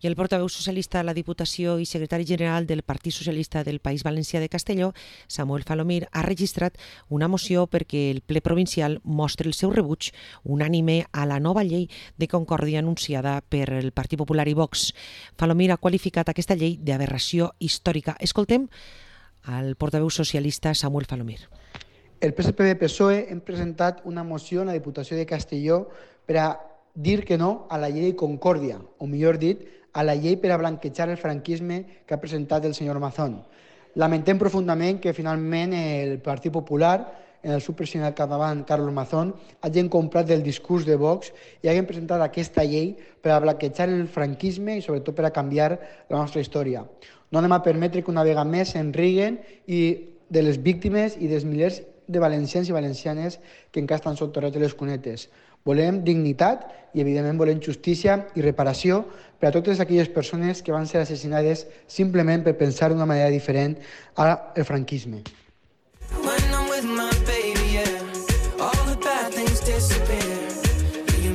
I el portaveu socialista a la Diputació i secretari general del Partit Socialista del País Valencià de Castelló, Samuel Falomir, ha registrat una moció perquè el ple provincial mostri el seu rebuig unànime a la nova llei de concòrdia anunciada per el Partit Popular i Vox. Falomir ha qualificat aquesta llei d'aberració històrica. Escoltem al portaveu socialista Samuel Falomir. El PSPB-PSOE hem presentat una moció a la Diputació de Castelló per a dir que no a la llei de concòrdia, o millor dit, a la llei per a blanquejar el franquisme que ha presentat el senyor Mazón. Lamentem profundament que finalment el Partit Popular, en el seu president al capdavant, Carlos Mazón, hagin comprat el discurs de Vox i hagin presentat aquesta llei per a blanquejar el franquisme i sobretot per a canviar la nostra història. No anem a permetre que una vegada més se'n riguen de les víctimes i dels milers de valencians i valencianes que encara estan soterrats a les cunetes. Volem dignitat i, evidentment, volem justícia i reparació per a totes aquelles persones que van ser assassinades simplement per pensar d'una manera diferent al franquisme.